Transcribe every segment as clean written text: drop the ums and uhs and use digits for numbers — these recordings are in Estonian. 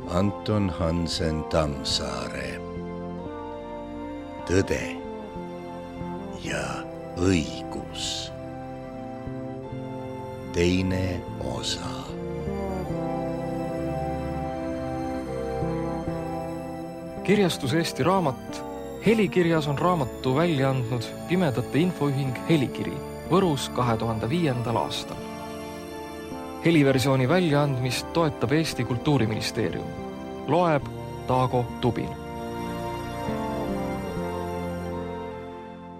Anton Hansen Tammsaare. Tõde ja õigus. Teine osa. Kirjastus Eesti Raamat. Helikirjas on raamatu välja andnud Pimedate Infoühing Helikiri Võrus 2005. aastal. Heliversiooni väljaandmist toetab Eesti Kultuuriministeerium. Loeb Taago Tubin.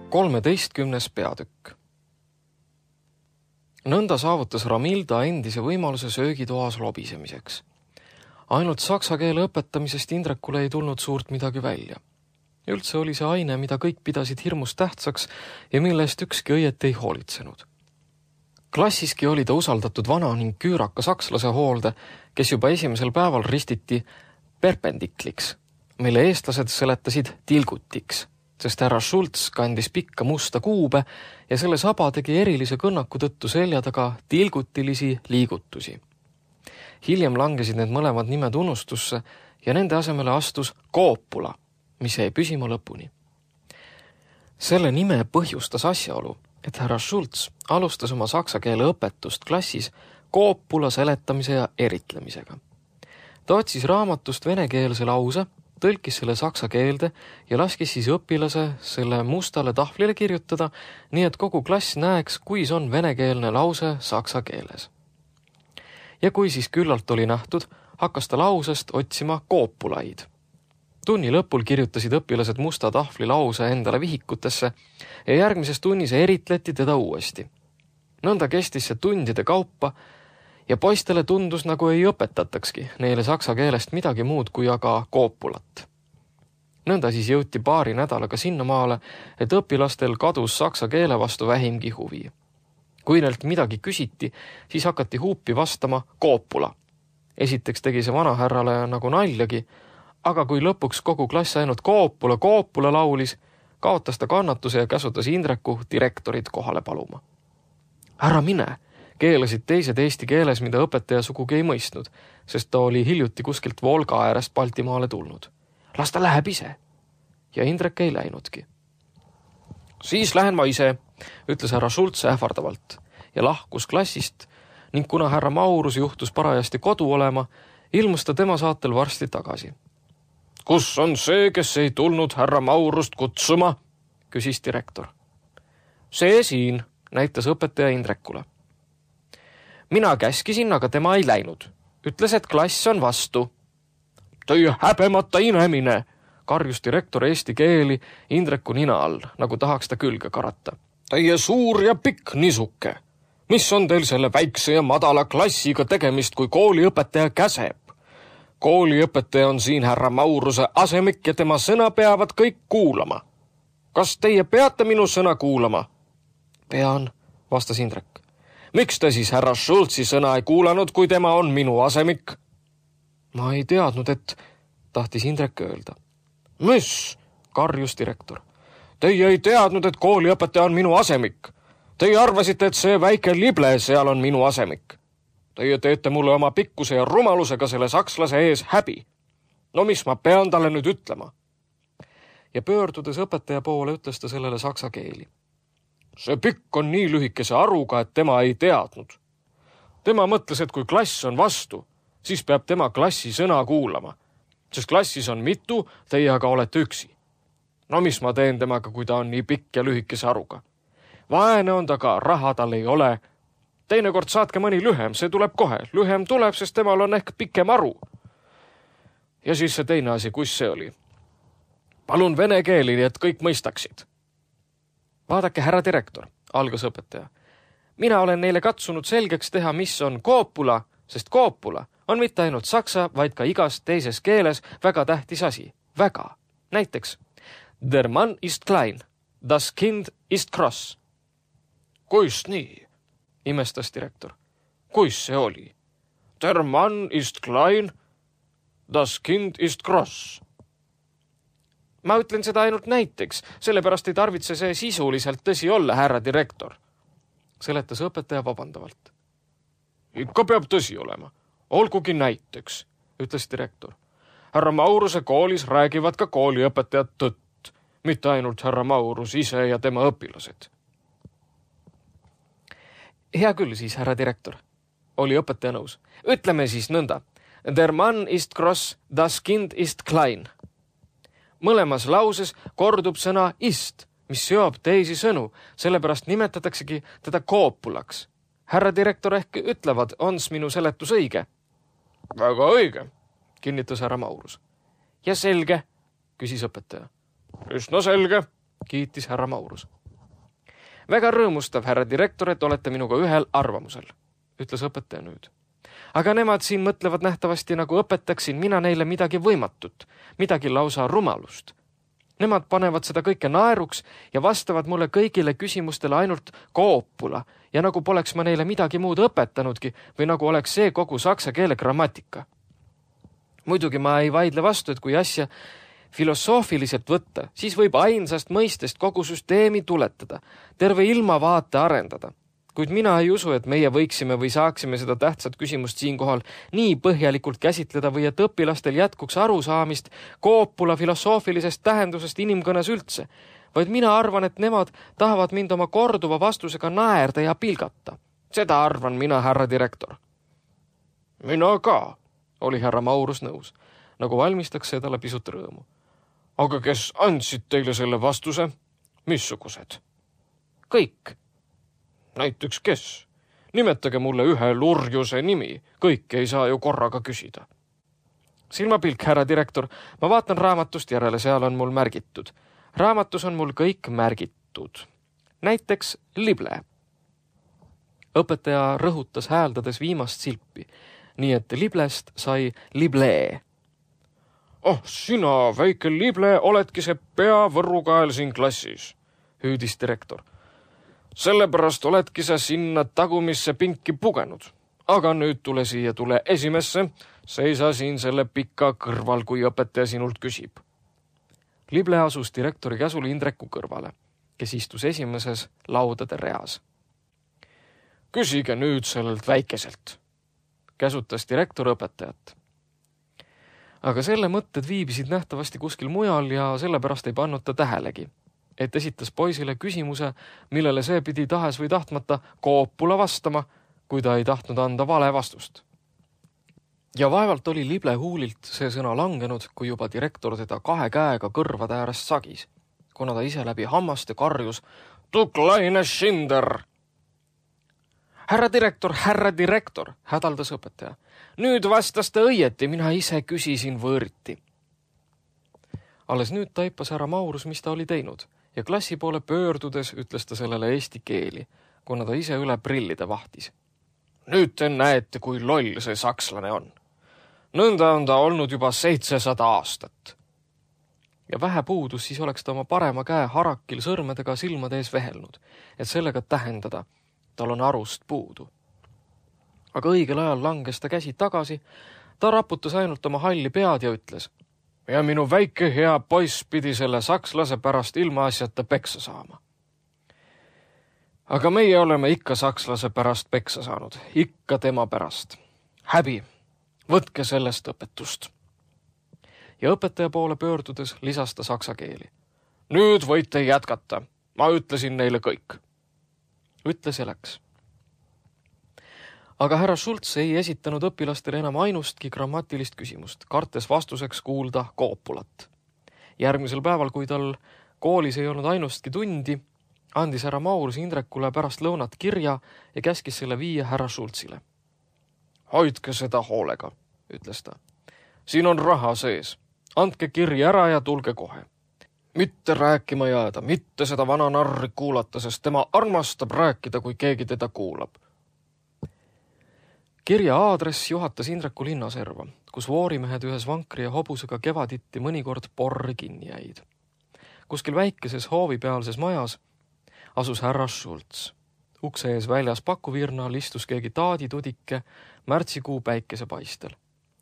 13. peatükk. Nõnda saavutas Ramilda endise võimaluse söögitoas lobisemiseks. Ainult saksa keele õpetamisest Indrekule ei tulnud suurt midagi välja. Üldse oli see aine, mida kõik pidasid hirmus tähtsaks ja millest ükski õieti ei hoolitsenud. Klassiski oli ta usaldatud vana ning küüraka sakslase hoolde, kes juba esimesel päeval ristiti perpendikliks, mille eestlased seletasid tilgutiks, sest härra Schultz kandis pikka musta kuube ja selle saba tegi erilise kõnnaku tõttu selja taga tilgutilisi liigutusi. Hiljem langesid need mõlemad nimed unustusse ja nende asemele astus koopula, mis jäi püsima lõpuni. Selle nime põhjustas asjaolu, et härra Schultz alustas oma saksa keele õpetust klassis koopula seletamise ja eritlemisega. Ta otsis raamatust venekeelse lause, tõlkis selle saksa keelde ja laskis siis õpilase selle mustale tahvlile kirjutada, nii et kogu klass näeks, kuis on venekeelne lause saksa keeles. Ja kui siis küllalt oli nähtud, hakkas ta lausest otsima koopulaid. Tunni lõpul kirjutasid õpilased musta tahvli lause endale vihikutesse ja järgmises tunnis eritleti teda uuesti. Nõnda kestis see tundide kaupa ja poistele tundus, nagu ei õpetatakski neile saksa keelest midagi muud kui aga koopulat. Nõnda siis jõuti paari nädalaga sinnamaale, et õpilastel kadus saksa keele vastu vähimgi huvi. Kui neilt midagi küsiti, siis hakati huupi vastama koopula. Esiteks tegi see vanahärrale nagu naljagi, aga kui lõpuks kogu klass ainult koopula laulis, kaotas ta kannatuse ja käsutas Indreku direktorit kohale paluma. Ära mine, keelasid teised eesti keeles, mida õpetaja sugugi ei mõistnud, sest ta oli hiljuti kuskilt Volga äärest Baltimaale tulnud. Las ta läheb ise. Ja Indrek ei läinudki. Siis lähen ma ise, ütles härra Schultz ähvardavalt ja lahkus klassist ning kuna härra Maurus juhtus parajasti kodu olema, ilmus ta tema saatel varsti tagasi. Kus on see, kes ei tulnud härra Maurust kutsuma? Küsis direktor. See siin, näitas õpetaja Indrekule. Mina käskisin, aga tema ei läinud. Ütles, et klass on vastu. Teie häbemata inemine, karjus direktor eesti keeli Indreku nina all, nagu tahaks ta külge karata. Teie suur ja pikk nisuke. Mis on teil selle väikse ja madala klassiga tegemist, kui kooliõpetaja käseb? Kooliõpetaja on siin härra Mauruse asemik ja tema sõna peavad kõik kuulama. Kas teie peate minu sõna kuulama? Pean, vastas Indrek. Miks te siis härra Schultzi sõna ei kuulanud, kui tema on minu asemik? Ma ei teadnud, et tahtis Indrek öelda. Mis? Karjus direktor. Teie ei teadnud, et kooliõpetaja on minu asemik. Teie arvasite, et see väike lible seal on minu asemik. Teie teete mulle oma pikkuse ja rumalusega selle sakslase ees häbi. No mis ma pean talle nüüd ütlema? Ja pöördudes õpetaja poole ütles ta sellele saksa keeli. See pikk on nii lühikese aruga, et tema ei teadnud. Tema mõtles, et kui klass on vastu, siis peab tema klassi sõna kuulama. Sest klassis on mitu, teie aga olete üksi. No mis ma teen temaga, kui ta on nii pikk ja lühikese aruga? Vaene on ta ka, raha tal ei ole. Teinekord saatke mõni lühem, see tuleb kohe. Lühem tuleb, sest temal on ehk pikem aru. Ja siis see teine asi, kus see oli? Palun vene keeli, et kõik mõistaksid. Vaadake, härra direktor, algas õpetaja. Mina olen neile katsunud selgeks teha, mis on koopula, sest koopula on mitte ainult saksa, vaid ka igas teises keeles väga tähtis asi. Väga. Näiteks, der Mann ist klein, das Kind ist kross. Kuis nii? Imestas direktor. Kuis see oli? Der Mann ist klein, das Kind ist kross. Ma ütlen seda ainult näiteks, sellepärast ei tarvitse see sisuliselt tõsi olla, härra direktor. Seletas õpetaja vabandavalt. Ikka peab tõsi olema. Olgugi näiteks. ütles direktor. Härra Mauruse koolis räägivad ka kooliõpetajad tõtt, mitte ainult härra Maurus ise ja tema õpilased. Hea küll siis, härra direktor, oli õpetaja nõus. Ütleme siis nõnda. Der Mann ist gross, das Kind ist klein. Mõlemas lauses kordub sõna ist, mis seob teisi sõnu, sellepärast nimetataksegi teda koopulaks. Härra direktor ehk ütlevad, ons minu seletus õige? Väga õige, kinnitas härra Maurus. Ja selge, küsis õpetaja. Üsna selge, kiitis härra Maurus. Väga rõõmustav, härra direktor, et olete minuga ühel arvamusel, ütles õpetaja nüüd. Aga nemad siin mõtlevad nähtavasti, nagu õpetaksin mina neile midagi võimatut, midagi lausa rumalust. Nemad panevad seda kõike naeruks ja vastavad mulle kõigile küsimustele ainult koopula ja nagu poleks ma neile midagi muud õpetanudki või nagu oleks see kogu saksa keele grammatika. Muidugi ma ei vaidle vastu, et kui asja filosoofiliselt võtta, siis võib ainsast mõistest kogu süsteemi tuletada, terve ilmavaate arendada. Kuid mina ei usu, et meie võiksime või saaksime seda tähtsat küsimust siinkohal nii põhjalikult käsitleda või et õpilastel jätkuks arusaamist koopula filosoofilisest tähendusest inimkõnes üldse, vaid mina arvan, et nemad tahavad mind oma korduva vastusega naerda ja pilgata. Seda arvan mina, härra direktor. Mina ka, oli härra Maurus nõus, nagu valmistaks see talle pisut rõõmu. Aga kes andsid teile selle vastuse? Missugused? Kõik. Näiteks kes? Nimetage mulle ühe lurjuse nimi, kõike ei saa ju korraga küsida. Silmapilk, härra direktor, ma vaatan raamatust järele, seal on mul märgitud. Raamatus on mul kõik märgitud. Näiteks lible. Õpetaja rõhutas hääldades viimast silpi, nii et liblest sai lible. Oh, sina, väike lible, oledki see peavõrrukael siin klassis, hüüdis direktor. Sellepärast oledki sa sinna tagumisse pinki pugenud. Aga nüüd tule siia, tule esimesse, seisa siin selle pika kõrval, kui õpetaja sinult küsib. Lible asus direktori käsul Indreku kõrvale, kes istus esimeses laudade reas. Küsige nüüd sellelt väikeselt, käsutas direktor õpetajat. Aga selle mõtted viibisid nähtavasti kuskil mujal ja sellepärast ei pannud ta tähelegi, et esitas poisile küsimuse, millele see pidi tahes või tahtmata koopula vastama, kui ta ei tahtnud anda vale vastust. Ja vaevalt oli lible huulilt see sõna langenud, kui juba direktor teda 2 käega kõrvade äärest sagis, kuna ta ise läbi hammaste karjus "Du kleine Schinder!" Härra direktor, hädaldas õpetaja. Nüüd vastas ta õieti, mina ise küsisin võõriti. Alles nüüd taipas härra Maurus, mis ta oli teinud, ja klassi poole pöördudes ütles ta sellele eesti keeli, kuna ta ise üle prillide vahtis. Nüüd te näete, kui loll see sakslane on. Nõnda on ta olnud juba 700 aastat. Ja vähe puudus, siis oleks ta oma parema käe harakil sõrmedega silmade ees vehelnud, et sellega tähendada, tal on arust puudu. Aga õigel ajal langes ta käsi tagasi, ta raputas ainult oma halli pead ja ütles, ja minu väike hea poiss pidi selle sakslase pärast ilmaasjata peksa saama. Aga meie oleme ikka sakslase pärast peksa saanud, ikka tema pärast. Häbi, võtke sellest õpetust. Ja õpetaja poole pöördudes lisas ta saksa keeli. Nüüd võite jätkata, ma ütlesin neile kõik. Ütles ja läks. Aga härra Schultz ei esitanud õpilastele enam ainustki grammatilist küsimust, kartes vastuseks kuulda koopulat. Järgmisel päeval, kui tal koolis ei olnud ainustki tundi, andis härra Maurus Indrekule pärast lõunat kirja ja käskis selle viia härra Schultzile. Hoidke seda hoolega, ütles ta. Siin on raha sees. Andke kirja ära ja tulge kohe. Mitte rääkima jääda, mitte seda vana narri kuulata, sest tema armastab rääkida, kui keegi teda kuulab. Kirja aadress juhatas Indreku linnaserva, kus voorimehed ühes vankri ja hobusega kevaditti mõnikord porri kinni jäid. Kuskil väikeses hoovipealses majas asus härra Schultz. Ukse ees väljas pakuvirnal istus keegi taaditudike märtsikuu päikesepaistel.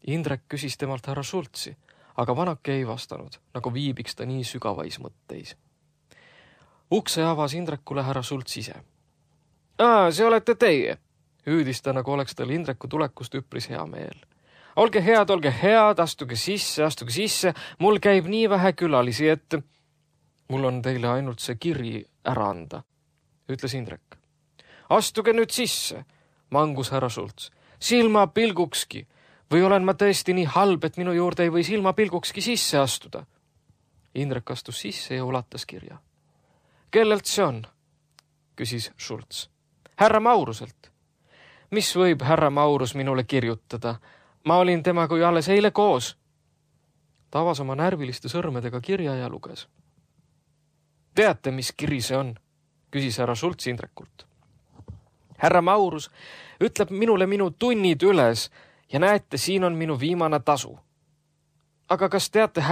Indrek küsis temalt härra Schultzi, aga vanake ei vastanud, nagu viibiks ta nii sügavais mõtteis. Ukse avas Indrekule härra Schultz ise. See olete teie, hüüdis ta, nagu oleks tal Indreku tulekust üpris hea meel. olge head, astuge sisse, mul käib nii vähe külalisi, et mul on teile ainult see kiri ära anda, ütles Indrek. Astuge nüüd sisse, mangus härra Schultz. Silmapilgukski, või olen ma tõesti nii halb, et minu juurde ei või silmapilgukski sisse astuda? Indrek astus sisse ja ulatas kirja. Kellelt see on? Küsis Schultz. Härra Mauruselt. Mis võib härra Maurus minule kirjutada? Ma olin temaga ju alles eile koos. Ta avas oma närviliste sõrmedega kirja ja luges. Teate, mis kiri see on? Küsis härra Schultz Indrekult. Härra Maurus ütleb minule minu tunnid üles ja näete, siin on minu viimane tasu. Aga kas teate,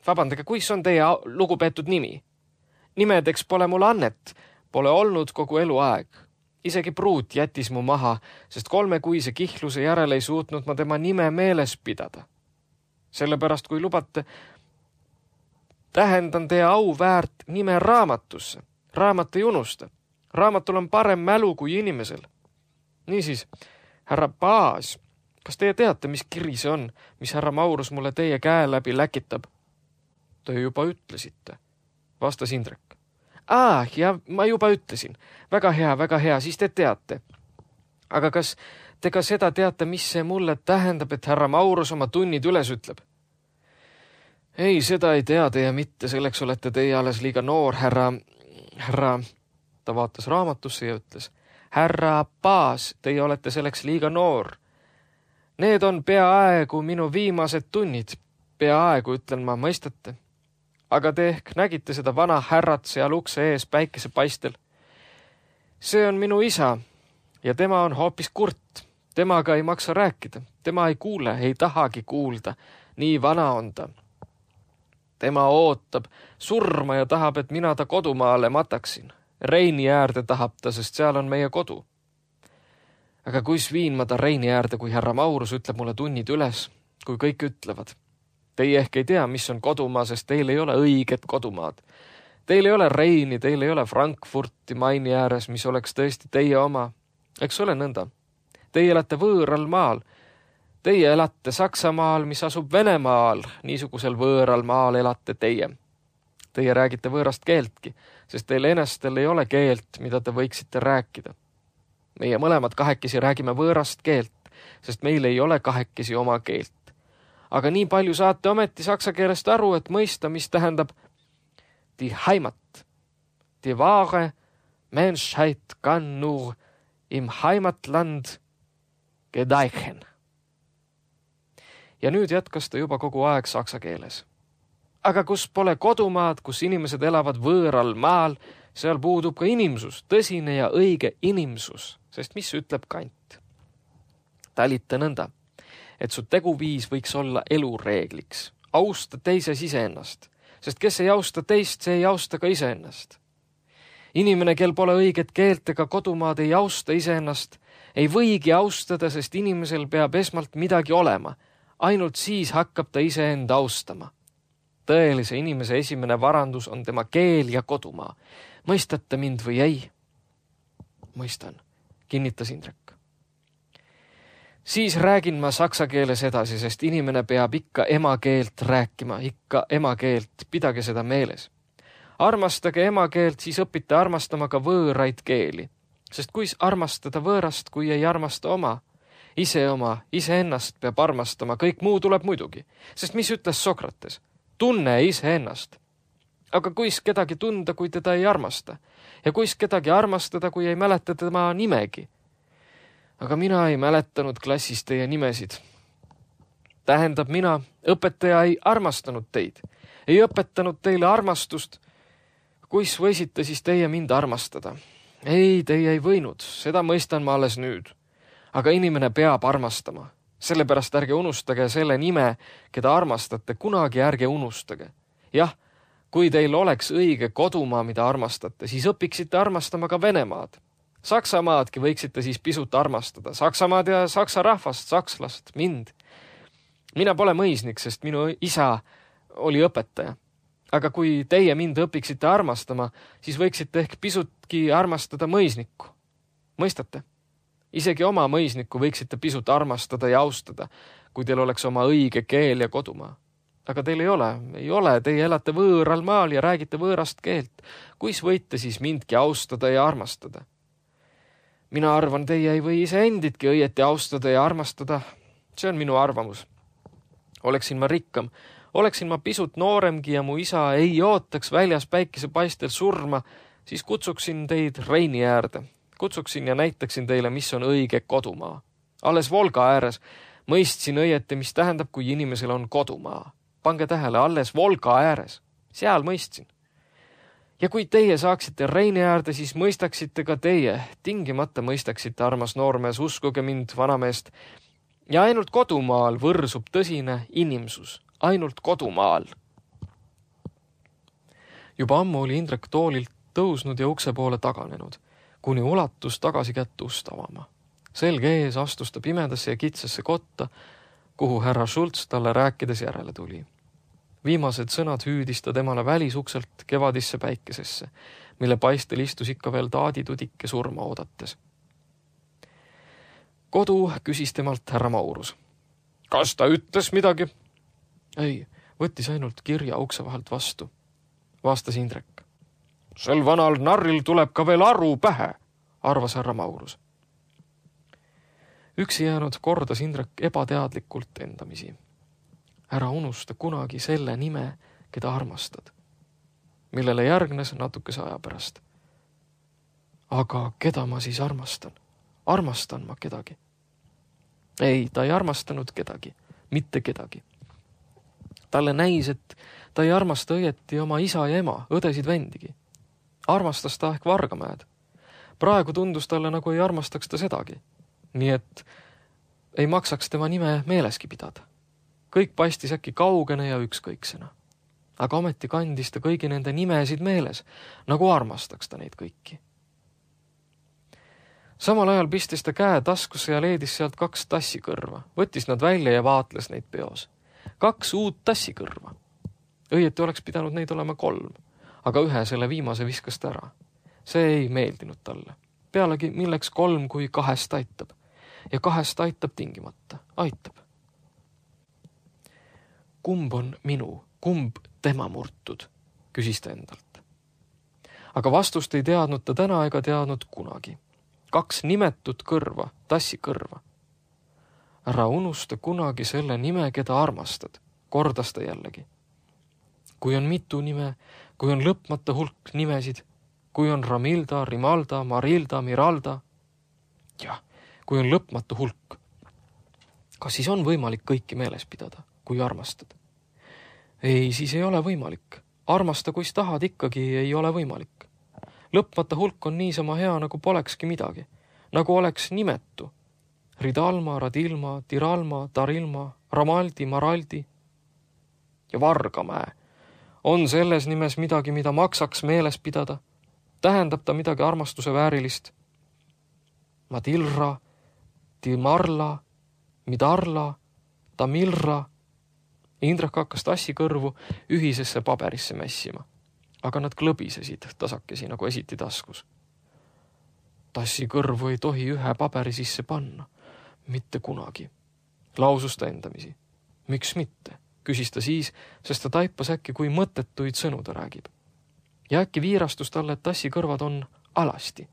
vabandage, kuis on teie lugupeetud nimi? Nimedeks pole mul annet, pole olnud kogu eluaeg. Isegi pruut jättis mu maha, sest 3-kuise kihluse järel ei suutnud ma tema nime meeles pidada. Sellepärast, kui lubate, tähendan teie auväärt nime raamatusse. Raamat ei unusta. Raamatul on parem mälu kui inimesel. Niisiis, härra Paas, kas teie teate, mis kiri see on, mis härra Maurus mulle teie käe läbi läkitab? Te juba ütlesite, vastas Indrek. Ja ma juba ütlesin. Väga hea, siis te teate. Aga kas te ka seda teate, mis see mulle tähendab, et härra Maurus oma tunnid üles ütleb? Ei, seda ei tea teie mitte, selleks olete teie alles liiga noor, härra. Ta vaatas raamatusse ja ütles. Härra Paas, teie olete selleks liiga noor. Need on peaaegu minu viimased tunnid. Peaaegu, ütlen ma, mõistate. Aga te ehk nägite seda vana härrat seal ukse ees päikesepaistel. See on minu isa ja tema on hoopis kurt. Temaga ei maksa rääkida. Tema ei kuule, ei tahagi kuulda. Nii vana on ta. Tema ootab surma ja tahab, et mina ta kodumaale mataksin. Reini äärde tahab ta, sest seal on meie kodu. Aga kuis viin ma ta Reini äärde, kui härra Maurus ütleb mulle tunnid üles, kui kõik ütlevad. Teie ehk ei tea, mis on kodumaa, sest teil ei ole õiget kodumaad. Teil ei ole Reini, teil ei ole Frankfurti Maini ääres, mis oleks tõesti teie oma. Eks ole nõnda. Teie elate võõral maal. Teie elate Saksamaal, mis asub Venemaal. Niisugusel võõral maal elate teie. Teie räägite võõrast keeltki, sest teil enestel ei ole keelt, mida te võiksite rääkida. Meie mõlemad kahekesi räägime võõrast keelt, sest meil ei ole kahekesi oma keelt. Aga nii palju saate ometi saksa keelest aru, et mõista, mis tähendab die Heimat. Die wahre Menschheit kann nur im Heimatland gedeichen. Ja nüüd jätkas ta juba kogu aeg saksa keeles. Aga kus pole kodumaad, kus inimesed elavad võõral maal, seal puudub ka inimsus, tõsine ja õige inimsus, sest mis ütleb Kant? Talita nõnda, et su teguviis võiks olla elureegliks. Austa teises iseennast, sest kes ei austa teist, see ei austa ka iseennast. Inimene, kel pole õiget keelt ega kodumaad, ei austa iseennast, ei võigi austada, sest inimesel peab esmalt midagi olema. Ainult siis hakkab ta iseenda austama. Tõelise inimese esimene varandus on tema keel ja kodumaa. Mõistate mind või ei? Mõistan, kinnitas Indrek. Siis räägin ma saksa keeles edasi, sest inimene peab ikka emakeelt rääkima, ikka emakeelt, pidage seda meeles. Armastage emakeelt, siis õpite armastama ka võõraid keeli, sest kuis armastada võõrast, kui ei armasta oma iseennast peab armastama, kõik muu tuleb muidugi, sest mis ütles Sokrates? Tunne iseennast. Aga kuis kedagi tunda, kui teda ei armasta? Ja kuis kedagi armastada, kui ei mäleta tema nimegi? Aga mina ei mäletanud klassis teie nimesid. Tähendab, mina, õpetaja, ei armastanud teid. Ei õpetanud teile armastust. Kuis võisite siis teie mind armastada? Ei, teie ei võinud. Seda mõistan ma alles nüüd. Aga inimene peab armastama. Sellepärast ärge unustage selle nime, keda armastate, kunagi ärge unustage. Jah, kui teil oleks õige kodumaa, mida armastate, siis õpiksite armastama ka Venemaad. Saksamaadki võiksite siis pisut armastada. Saksamaad ja saksa rahvast, sakslast, mind. Mina pole mõisnik, sest minu isa oli õpetaja. Aga kui teie mind õpiksite armastama, siis võiksite ehk pisutki armastada mõisnikku. Mõistate? Isegi oma mõisnikku võiksite pisut armastada ja austada, kui teil oleks oma õige keel ja kodumaa. Aga teil ei ole, teie elate võõral maal ja räägite võõrast keelt. Kuis võite siis mindki austada ja armastada? Mina arvan, teie ei või iseenditki õieti austada ja armastada. See on minu arvamus. Oleksin ma rikkam, oleksin ma pisut nooremgi ja mu isa ei ootaks väljas päikesepaistel surma, siis kutsuksin teid Reini äärde. Kutsuksin ja näitaksin teile, mis on õige kodumaa. Alles Volga ääres mõistsin õieti, mis tähendab, kui inimesel on kodumaa. Pange tähele, alles Volga ääres. Seal mõistsin. Ja kui teie saaksite Reini äärde, siis mõistaksite ka teie. Tingimata mõistaksite, armas noormees, uskuge mind, vanameest. Ja ainult kodumaal võrsub tõsine inimsus. Ainult kodumaal. Juba ammu oli Indrek toolilt tõusnud ja ukse poole taganenud, kuni ulatus tagasi kätt ust avama. Selge ees astus ta pimedasse ja kitsasse kotta, kuhu härra Schultz talle rääkides järele tuli. Viimased sõnad hüüdis ta temale välisukselt kevadisse päikesesse, mille paistel istus ikka veel taaditudike surma oodates. Kodu küsis temalt härra Maurus. Kas ta ütles midagi? Ei, võttis ainult kirja ukse vahelt vastu. Vastas Indrek. Sel vanal narril tuleb ka veel aru pähe, arvas härra Maurus. Üksi jäänud kordas Indrek ebateadlikult endamisi. Ära unusta kunagi selle nime, keda armastad, millele järgnes natukese aja pärast. Aga keda ma siis armastan? Armastan ma kedagi? Ei, ta ei armastanud kedagi, mitte kedagi. Talle näis, et ta ei armasta õieti oma isa ja ema, õdesid vendigi. Armastas ta ehk Vargamäed. Praegu tundus talle, nagu ei armastaks ta sedagi. Nii et ei maksaks tema nime meeleski pidada. Kõik paistis äkki kaugene ja ükskõiksena. Aga ometi kandis ta kõigi nende nimesid meeles, nagu armastaks ta neid kõiki. Samal ajal pistis ta käe taskusse ja leedis sealt 2 tassikõrva. Võttis nad välja ja vaatles neid peos. 2 uut tassikõrva. Õieti oleks pidanud neid olema 3, aga ühe selle viimase viskas ta ära. See ei meeldinud talle. Pealegi milleks 3, kui 2 aitab. Ja 2 aitab tingimata. Aitab. Kumb on minu, kumb tema murtud, küsis ta endalt. Aga vastust ei teadnud ta täna ega teadnud kunagi. 2 nimetut kõrva, tassikõrva. Ära unusta kunagi selle nime, keda armastad, kordas ta jällegi. Kui on mitu nime, kui on lõpmata hulk nimesid, kui on Ramilda, Rimalda, Marilda, Miralda, jah, kui on lõpmatu hulk, kas siis on võimalik kõiki meeles pidada, kui armastad? Ei, siis ei ole võimalik. Armasta, kuis tahad, ikkagi ei ole võimalik. Lõpmata hulk on niisama hea, nagu polekski midagi. Nagu oleks nimetu. Ridalma, Radilma, Tiralma, Tarilma, Ramaldi, Maraldi ja Vargamäe. On selles nimes midagi, mida maksaks meeles pidada? Tähendab ta midagi armastuse väärilist? Madilra, Timarla, Midarla, Tamilra. Indrek hakkas tassikõrvu ühisesse paberisse mässima, aga nad klõbisesid tasakesi nagu esiti taskus. Tassikõrvu ei tohi ühe paberi sisse panna, mitte kunagi, lausus ta endamisi. Miks mitte, küsis ta siis, sest ta taipas äkki, kui mõttetuid sõnu ta räägib. Ja äkki viirastus talle, et tassikõrvad on alasti.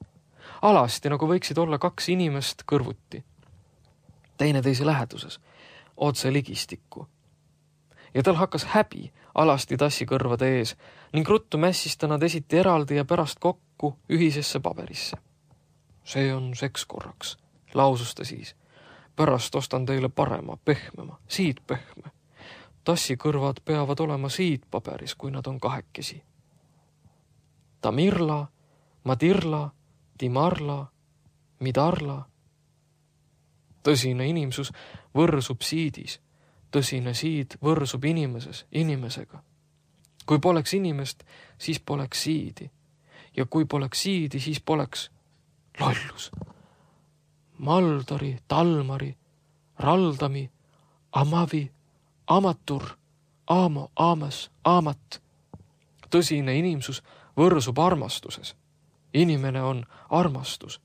Alasti, nagu võiksid olla 2 inimest kõrvuti. Teineteise läheduses, otse ligistikku. Ja tal hakkas häbi alasti tassikõrvade ees ning ruttu mässis ta nad esiti eraldi ja pärast kokku ühisesse paberisse. See on seks korraks, lausus ta siis. Pärast ostan teile parema, pehmema, siid pehme. Tassikõrvad peavad olema siid paberis, kui nad on 2. Tamirla, Madirla, Timarla, Midarla. Tõsine inimsus võrsub siidis. Tõsine siid võrsub inimesega. Kui poleks inimest, siis poleks siidi. Ja kui poleks siidi, siis poleks lollus. Maldari, Talmari, Raldami, Amavi, Amatur, Aamo, Aamas, Aamat. Tõsine inimsus võrsub armastuses. Inimene on armastus.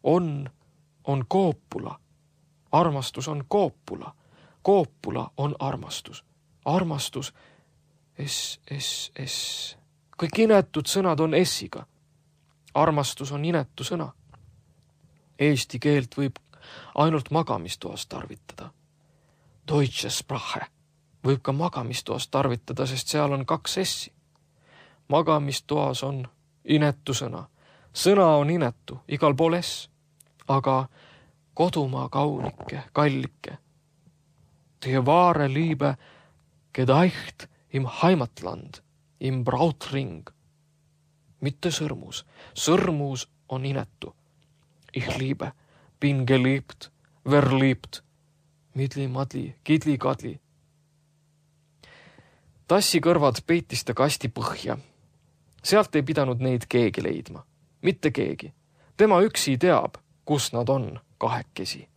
On on koopula. Armastus on koopula. Koopula on armastus. Armastus, S. Kõik inetud sõnad on S-iga. Armastus on inetu sõna. Eesti keelt võib ainult magamistoas tarvitada. Deutsche Sprache võib ka magamistoas tarvitada, sest seal on 2 S-i. Magamistoas on inetu sõna. Sõna on inetu, igal pool S. Aga kodumaa kaunike, kallike. Die wahre Liebe gedeicht im Heimatland, im Brautring. Mitte sõrmus. Sõrmus on inetu. Ich liebe, bin geliebt, verliebt. Midli-madli, kidli-kadli. Tassi kõrvad peitis ta kasti põhja. Sealt ei pidanud neid keegi leidma. Mitte keegi. Tema üksi teab, kus nad on kahekesi.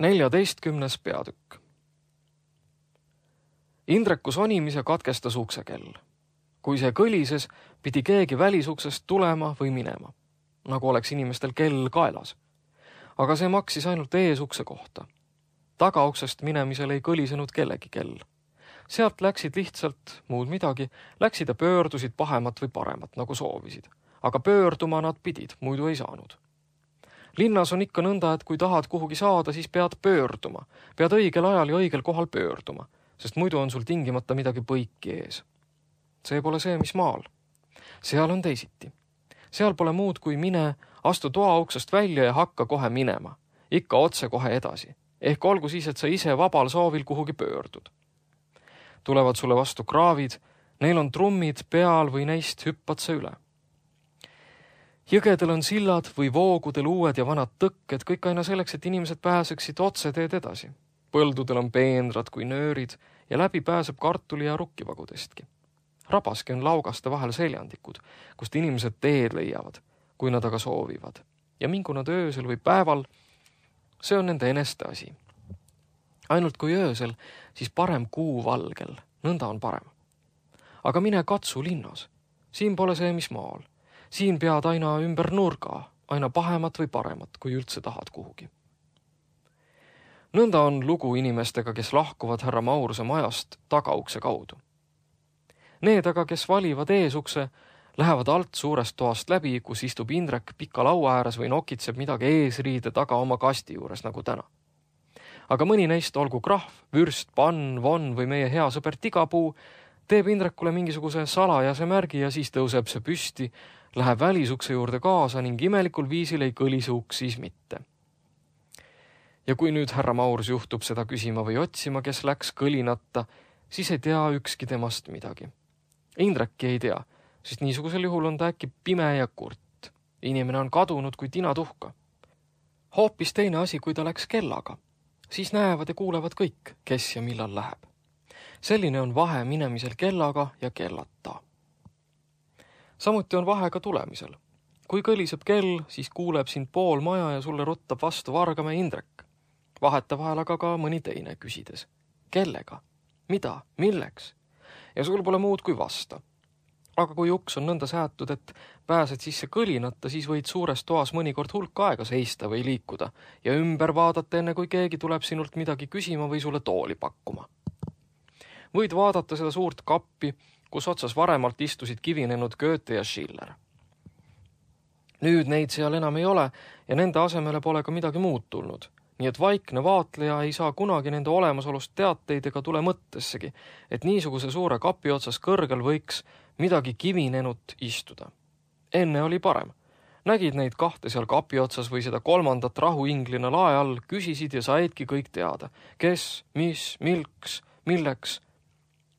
Neljateistkümnes peatükk. Indreku sonimise katkestas uksekell. Kui see kõlises, pidi keegi välisuksest tulema või minema, nagu oleks inimestel kell kaelas. Aga see maksis ainult eesukse kohta. Tagauksest minemisel ei kõlisenud kellegi kell. Sealt läksid lihtsalt muud midagi, läksid ja pöördusid pahemat või paremat, nagu soovisid. Aga pöörduma nad pidid, muidu ei saanud. Linnas on ikka nõnda, et kui tahad kuhugi saada, siis pead pöörduma. Pead õigel ajal ja õigel kohal pöörduma, sest muidu on sul tingimata midagi põiki ees. See pole see, mis maal. Seal on teisiti. Seal pole muud kui mine, astu toauksest välja ja hakka kohe minema. Ikka otse kohe edasi. Ehk olgu siis, et sa ise vabal soovil kuhugi pöördud. Tulevad sulle vastu kraavid, neil on trummid peal või neist hüppad sa üle. Jõgedel on sillad või voogudel uued ja vanad tõkked, kõik aina selleks, et inimesed pääseksid otse teed edasi. Põldudel on peenrad kui nöörid ja läbi pääseb kartuli ja rukkivagudestki. Rabaski on laugaste vahel seljandikud, kust inimesed teed leiavad, kui nad aga soovivad. Ja mingu nad öösel või päeval, see on nende eneste asi. Ainult kui öösel, siis parem kuu valgel, nõnda on parem. Aga mine katsu linnas. Siin pole see, mis maal. Siin pead aina ümber nurga, aina pahemat või paremat, kui üldse tahad kuhugi. Nõnda on lugu inimestega, kes lahkuvad härra Mauruse majast tagaukse kaudu. Need aga, kes valivad eesukse, lähevad alt suurest toast läbi, kus istub Indrek pika laua ääres või nokitseb midagi eesriide taga oma kasti juures, nagu täna. Aga mõni neist, olgu krahv, vürst, pann, von või meie hea sõber Tigapuu, teeb Indrekule mingisuguse salajase märgi ja siis tõuseb see püsti, läheb välisukse juurde kaasa ning imelikul viisil ei kõlise uks siis mitte. Ja kui nüüd härra Maurus juhtub seda küsima või otsima, kes läks kõlinata, siis ei tea ükski temast midagi. Indrekki ei tea, sest niisugusel juhul on ta äkki pime ja kurt. Inimene on kadunud kui tinatuhka. Hoopis teine asi, kui ta läks kellaga. Siis näevad ja kuulevad kõik, kes ja millal läheb. Selline on vahe minemisel kellaga ja kellata. Samuti on vahe ka tulemisel. Kui kõliseb kell, siis kuuleb sind pool maja ja sulle ruttab vastu Vargamäe Indrek. Vaheta vahel aga ka mõni teine küsides. Kellega? Mida? Milleks? Ja sul pole muud kui vasta. Aga kui uks on nõnda säätud, et pääsed sisse kõlinata, siis võid suures toas mõnikord hulk aega seista või liikuda ja ümber vaadata enne, kui keegi tuleb sinult midagi küsima või sulle tooli pakkuma. Võid vaadata seda suurt kappi, kus otsas varemalt istusid kivinenud Goethe ja Schiller. Nüüd neid seal enam ei ole ja nende asemele pole ka midagi muud tulnud, nii et vaikne vaatleja ei saa kunagi nende olemasolust teateid ega tule mõttessegi, et niisuguse suure kapi otsas kõrgel võiks midagi kivinenut istuda. Enne oli parem. Nägid neid kahte seal kapi otsas või seda kolmandat rahuinglina lae all, küsisid ja saidki kõik teada. Kes, mis, milks, milleks.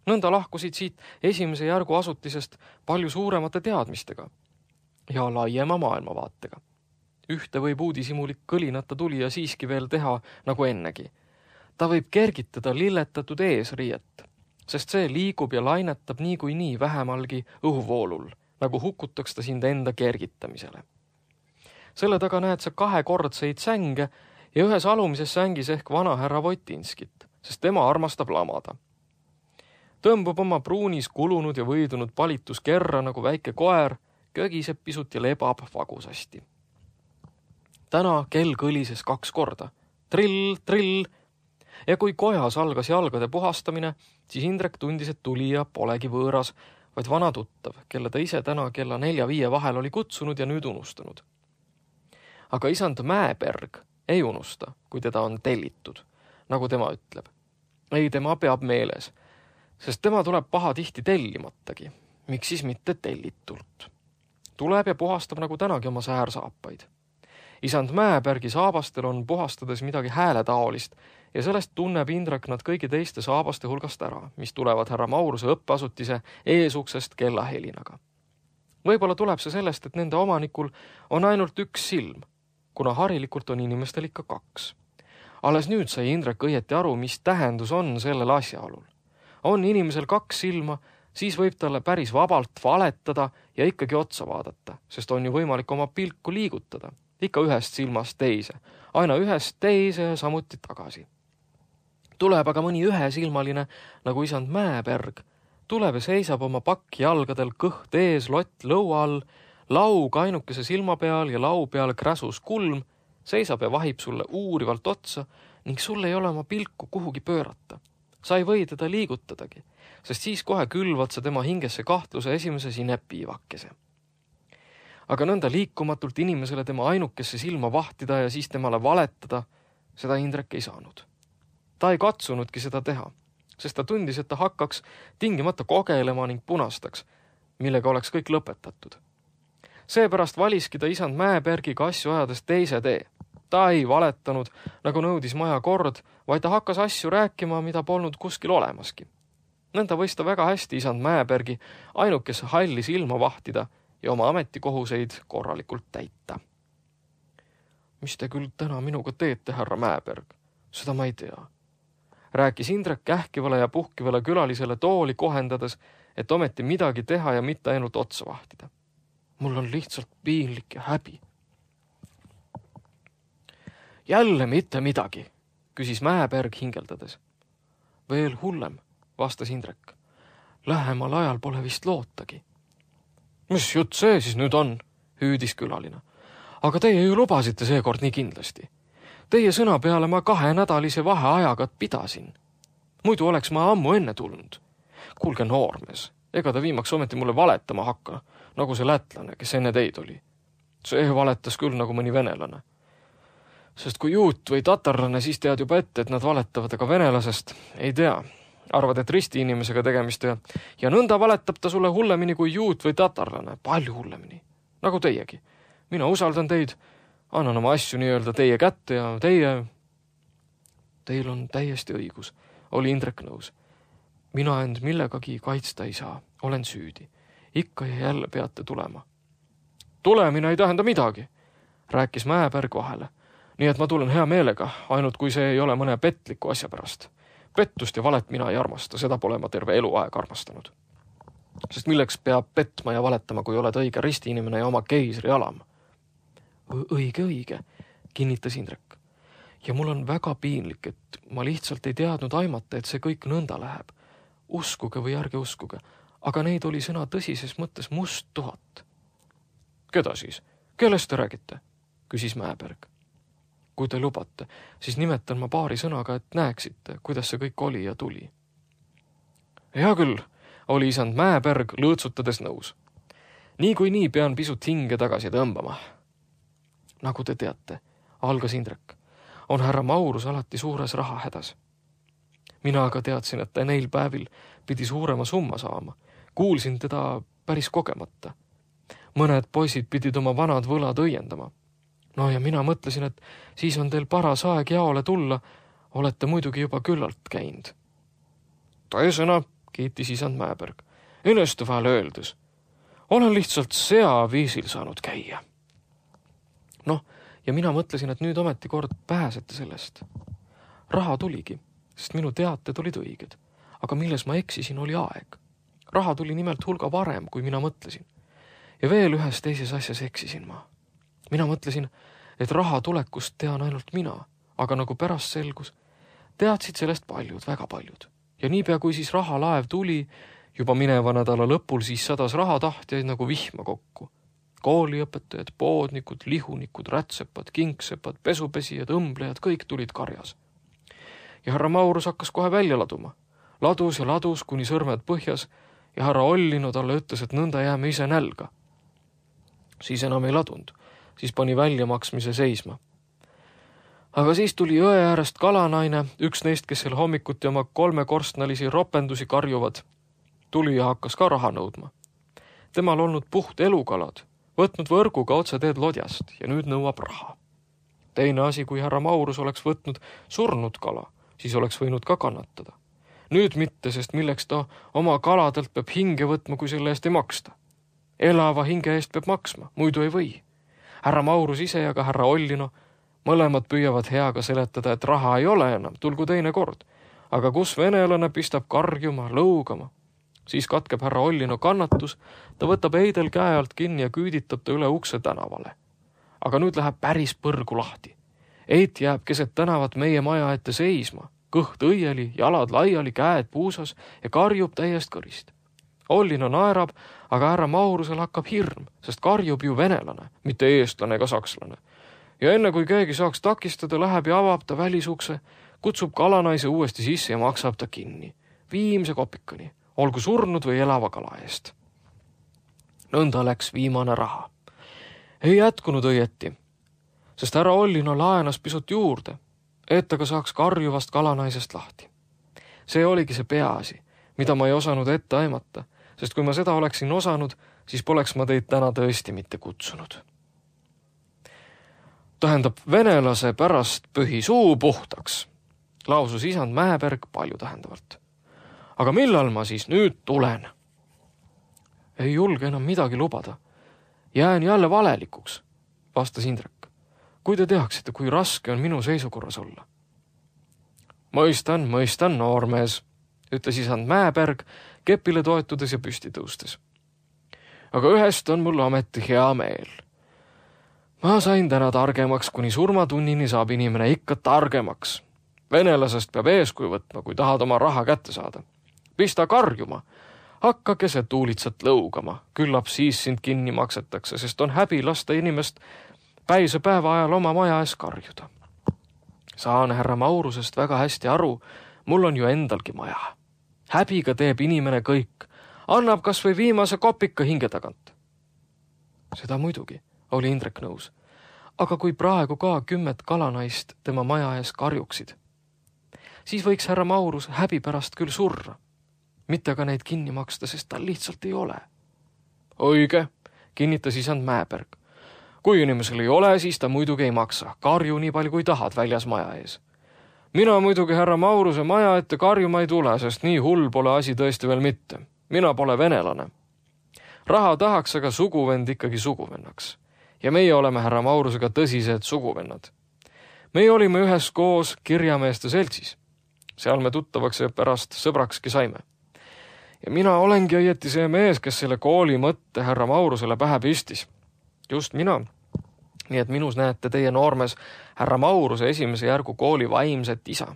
Nõnda lahkusid siit esimese järgu asutisest palju suuremate teadmistega ja laiema maailmavaatega. Ühte võib uudishimulik kõlinata tulija siiski veel teha nagu ennegi. Ta võib kergitada lilletatud eesriiet, sest see liigub ja lainetab niikuinii vähemalgi õhuvoolul, nagu hukutaks ta sind enda kergitamisele. Selle taga näed sa kahekordseid sänge ja ühes alumises sängis ehk vana härra Votinskit, sest tema armastab lamada. Tõmbub oma pruunis kulunud ja võidunud palituskerra nagu väike koer, kögiseb pisut ja lebab vagusasti. Täna kell kõlises 2 korda. Trill, trill. Ja kui kojas algas jalgade puhastamine, siis Indrek tundis, et tulija polegi võõras, vaid vana tuttav, kelle ta ise täna kella 4-5 vahel oli kutsunud ja nüüd unustanud. Aga isand Mäeberg ei unusta, kui teda on tellitud, nagu tema ütleb. Ei, tema peab meeles, sest tema tuleb pahatihti tellimatagi. Miks siis mitte tellitult? Tuleb ja puhastab nagu tänagi oma säärsaapaid. Isand Mäebergi saabastel on puhastades midagi hääletaolist ja sellest tunneb Indrek nad kõigi teiste saabaste hulgast ära, mis tulevad härra Mauruse õppeasutise eesuksest kellahelinaga. Võib-olla tuleb see sellest, et nende omanikul on ainult üks silm, kuna harilikult on inimestel ikka 2. Alles nüüd sai Indrek õieti aru, mis tähendus on sellel asjaolul. On inimesel 2 silma, siis võib talle päris vabalt valetada ja ikkagi otsa vaadata, sest on ju võimalik oma pilku liigutada, ikka ühest silmast teise, aina ühest teise ja samuti tagasi. Tuleb aga mõni ühesilmaline, nagu isand Mäeberg, tuleb ja seisab oma pakki jalgadel kõht ees, lott lõua all, laug ainukese silma peal ja lau peal kräsus kulm, seisab ja vahib sulle uurivalt otsa ning sul ei ole oma pilku kuhugi pöörata. Sa ei või teda liigutadagi, sest siis kohe külvad sa tema hingesse kahtluse esimese sinepiivakese. Aga nõnda liikumatult inimesele tema ainukesse silma vahtida ja siis temale valetada, seda Indrek ei saanud. Ta ei katsunudki seda teha, sest ta tundis, et ta hakkaks tingimata kogelema ning punastaks, millega oleks kõik lõpetatud. Seepärast valiski ta isand Mäebergiga asju ajades teise tee. Ta ei valetanud, nagu nõudis maja kord, vaid ta hakkas asju rääkima, mida polnud kuskil olemaski. Nõnda võis ta väga hästi isand Mäebergi ainukesse halli silma vahtida ja oma ametikohuseid korralikult täita. Mis te küll täna minuga teete, härra Mäeberg? Seda ma ei tea. Rääkis Indrek kähkivale ja puhkivale külalisele tooli kohendades, et ometi midagi teha ja mitte ainult otsa vahtida. Mul on lihtsalt piinlik ja häbi. Jälle mitte midagi, küsis Mäeberg hingeldades. Veel hullem, vastas Indrek. Lähemal ajal pole vist lootagi. Mis jutt see siis nüüd on, hüüdis külaline. Aga teie ju lubasite seekord nii kindlasti. Teie sõna peale ma 2-nädalise vaheajaga pidasin. Muidu oleks ma ammu enne tulnud. Kuulge noormees, ega ta viimaks ometi mulle valetama hakka, nagu see lätlane, kes enne teid oli. See valetas küll nagu mõni venelane. Sest kui juut või tatarlane, siis tead juba ette, et nad valetavad, aga venelasest ei tea. Arvad, et risti inimesega tegemist ja nõnda valetab ta sulle hullemini kui juut või tatarlane, palju hullemini, nagu teiegi. Mina usaldan teid, annan oma asju nii-öelda teie kätte ja Teil on täiesti õigus, oli Indrek nõus. Mina end millegagi kaitsta ei saa, olen süüdi. Ikka ja jälle peate tulema. Tulemine ei tähenda midagi, rääkis Mäeberg vahele. Nii et ma tulen hea meelega, ainult kui see ei ole mõne petliku asja pärast. Pettust ja valet mina ei armasta, seda pole ma terve eluaeg armastanud. Sest milleks peab petma ja valetama, kui oled õige ristiinimene ja oma keisri alam? Õige, kinnitas Indrek. Ja mul on väga piinlik, et ma lihtsalt ei teadnud aimata, et see kõik nõnda läheb. Uskuge või ärge uskuge, aga neid oli sõna tõsises mõttes must 1000. Keda siis? Kellest te räägite? Küsis Mäeberg. Kui te lubate, siis nimetan ma paari sõnaga, et näeksite, kuidas see kõik oli ja tuli. Hea küll, oli isand Mäeberg lõõtsutades nõus. Nii pean pisut hinge tagasi tõmbama. Nagu te teate, algas Indrek, on härra Maurus alati suures rahahädas. Mina aga teadsin, et ta neil päevil pidi suurema summa saama. Kuulsin teda päris kogemata. mõned poisid pidid oma vanad võlad õiendama. No ja mina mõtlesin, et siis on teil paras aeg jaole tulla, olete muidugi juba küllalt käinud. Tõesõna, kiitis isand Mäeberg, enneste vahel öeldes. Olen lihtsalt viisil saanud käia. Noh, ja mina mõtlesin, et nüüd ometi kord pääsete sellest. Raha tuligi, sest minu teated olid õiged. Aga milles ma eksisin, oli aeg. Raha tuli nimelt hulga varem, kui mina mõtlesin. Ja veel ühes teises asjas eksisin ma. Mina mõtlesin, et raha tulekust tean ainult mina, aga nagu pärast selgus, teadsid sellest paljud, väga paljud. Ja niipea, kui siis rahalaev tuli, juba mineva nädala lõpul siis sadas rahatahtjaid nagu vihma kokku. Kooliõpetajad, poodnikud, lihunikud, rätsepad, kingsepad, pesupesijad, õmblejad, kõik tulid karjas. Ja härra Maurus hakkas kohe välja laduma. Ladus ja ladus, kuni sõrmed põhjas, ja härra Ollino talle ütles, et nõnda jääme ise nälga. Siis enam ei ladund, siis pani väljamaksmise seisma. Aga siis tuli jõe äärest kalanaine, üks neist, kes seal hommikuti oma 3 korstnalisi ropendusi karjuvad, tuli ja hakkas ka raha nõudma. Temal olnud puht elukalad, võtnud võrguga otse teed lodjast ja nüüd nõuab raha. Teine asi, kui härra Maurus oleks võtnud surnud kala, siis oleks võinud ka kannatada. Nüüd mitte, sest milleks ta oma kaladelt peab hinge võtma, kui selle eest ei maksta. Elava hinge eest peab maksma, muidu ei või. Härra Maurus ise ja ka härra Ollino mõlemad püüavad heaga seletada, et raha ei ole enam, tulgu teine kord. Aga kus venelane pistab karjuma, lõugama? Siis katkeb härra Ollino kannatus, ta võtab Eidel käe alt kinni ja küüditab ta üle ukse tänavale. Aga nüüd läheb päris põrgu lahti. Eit jääb keset tänavat meie maja ette seisma, kõht õieli, jalad laiali, käed puusas ja karjub täiest kõrist. Ollino naerab, aga härra Maurusel hakkab hirm, sest karjub ju venelane, mitte eestlane ega sakslane. Ja enne kui keegi saaks takistada, läheb ja avab ta välisukse, kutsub kalanaise uuesti sisse ja maksab ta kinni. Viimse kopikani, olgu surnud või elava kala eest. Nõnda läks viimane raha. Ei jätkunud õieti, sest härra Ollino laenas pisut juurde, et aga saaks karjuvast kalanaisest lahti. See oligi see peaasi, mida ma ei osanud ette aimata, sest kui ma seda oleksin osanud, siis poleks ma teid täna tõesti mitte kutsunud. Tähendab, venelase pärast pühi suu puhtaks, lausus isand Mäeberg palju tähendavalt. Aga millal ma siis nüüd tulen? Ei julge enam midagi lubada. Jään jälle valelikuks, vastas Indrek. Kui te teaksite, kui raske on minu seisukorras olla. Mõistan, noormees, ütles isand Mäeberg, kepile toetudes ja püsti tõustes. Aga ühest on mul ometi hea meel. Ma sain täna targemaks, kuni surmatunnini saab inimene ikka targemaks. Venelasest peab eeskuju võtma, kui tahad oma raha kätte saada. Pista karjuma, hakka keset tuulitsat lõugama, küllap siis sind kinni maksetakse, sest on häbi lasta inimest päise päeva ajal oma maja ees karjuda. Saan härra Maurusest väga hästi aru, mul on ju endalgi maja. Häbiga teeb inimene kõik, annab kas või viimase kopika hinge tagant. Seda muidugi, oli Indrek nõus. Aga kui praegu ka 10 kalanaist tema maja ees karjuksid, siis võiks härra Maurus häbi pärast küll surra. Mitte aga neid kinni maksta, sest tal lihtsalt ei ole. Õige, kinnitas isand Mäeberg. Kui inimesel ei ole, siis ta muidugi ei maksa. Karju nii palju kui tahad väljas maja ees. Mina muidugi härra Mauruse maja ette karjuma ei tule, sest nii hull pole asi tõesti veel mitte. Mina pole venelane. Raha tahaks aga suguvend ikkagi suguvennaks. Ja meie oleme härra Maurusega tõsised suguvennad. Meie olime üheskoos kirjameeste seltsis. Seal me tuttavaks ja pärast sõbrakski saime. Ja mina olengi õieti see mees, kes selle kooli mõtte härra Maurusele pähe pistis. Just mina. Nii et minus näete teie noormes härra Mauruse esimese järgu kooli vaimset isa.